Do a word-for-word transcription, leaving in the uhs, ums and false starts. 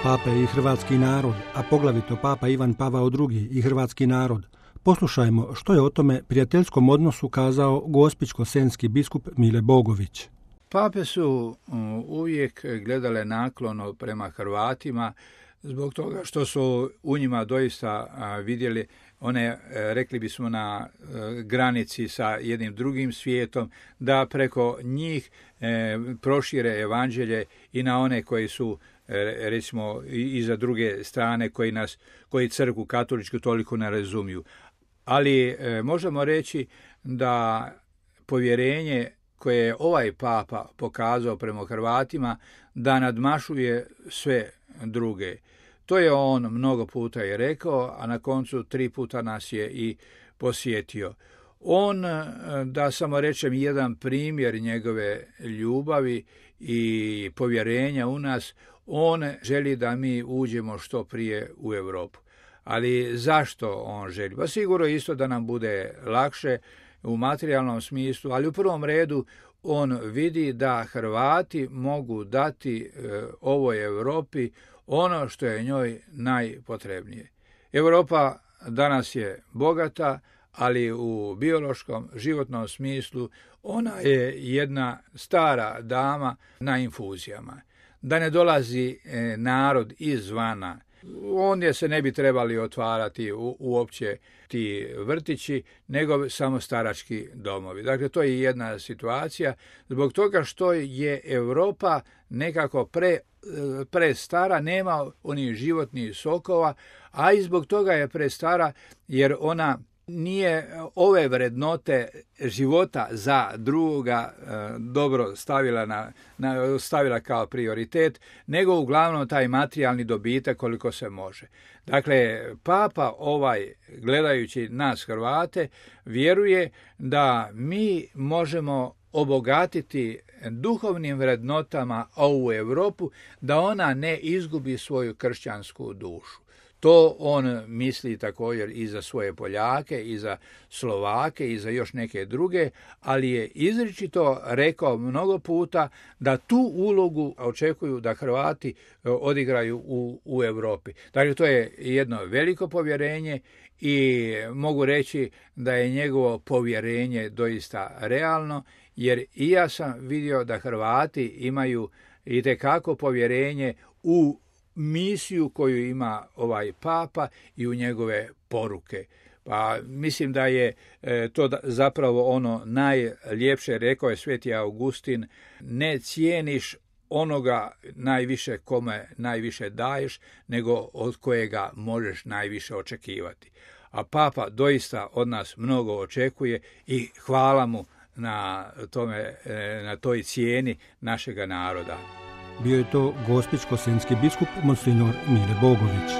Papa i hrvatski narod, a poglavito Papa Ivan Pavao drugi i hrvatski narod. Poslušajmo što je o tome prijateljskom odnosu kazao gospićko-senjski biskup Mile Bogović. Pape su uvijek gledale naklono prema Hrvatima zbog toga što su u njima doista vidjeli one, rekli bismo, na granici sa jednim drugim svijetom, da preko njih prošire evanđelje i na one koji su, recimo, i za druge strane, koji nas, koji crkvu katoličku toliko ne razumiju. Ali možemo reći da povjerenje koje je ovaj papa pokazao prema Hrvatima da nadmašuje sve druge. To je on mnogo puta i rekao, a na koncu tri puta nas je i posjetio. On, da samo rečem jedan primjer njegove ljubavi i povjerenja u nas, on želi da mi uđemo što prije u Europu. Ali zašto on želi? Pa sigurno isto da nam bude lakše u materijalnom smislu, ali u prvom redu on vidi da Hrvati mogu dati e, ovoj Europi ono što je njoj najpotrebnije. Europa danas je bogata, ali u biološkom, životnom smislu ona je jedna stara dama na infuzijama. Da ne dolazi e, narod izvana, ondje se ne bi trebali otvarati u, uopće ti vrtići, nego samo starački domovi. Dakle, to je jedna situacija zbog toga što je Europa nekako pre, pre stara, nema onih životnih sokova, a i zbog toga je prestara jer ona nije ove vrednote života za drugoga e, dobro stavila, na, na, stavila kao prioritet, nego uglavnom taj materijalni dobitak koliko se može. Dakle, Papa ovaj, gledajući nas Hrvate, vjeruje da mi možemo obogatiti duhovnim vrednotama ovu Europu, da ona ne izgubi svoju kršćansku dušu. To on misli također i za svoje Poljake, i za Slovake, i za još neke druge, ali je izričito rekao mnogo puta da tu ulogu očekuju da Hrvati odigraju u, u Europi. Dakle, to je jedno veliko povjerenje i mogu reći da je njegovo povjerenje doista realno, jer i ja sam vidio da Hrvati imaju itekako povjerenje u misiju koju ima ovaj papa i u njegove poruke. Pa mislim da je e, to da, zapravo ono najljepše, rekao je sveti Augustin, ne cijeniš onoga najviše kome najviše daješ, nego od kojega možeš najviše očekivati. A papa doista od nas mnogo očekuje i hvala mu na tome, na toj cijeni našega naroda. Bio je to gospićko-senjski biskup Monsignor Mile Bogović.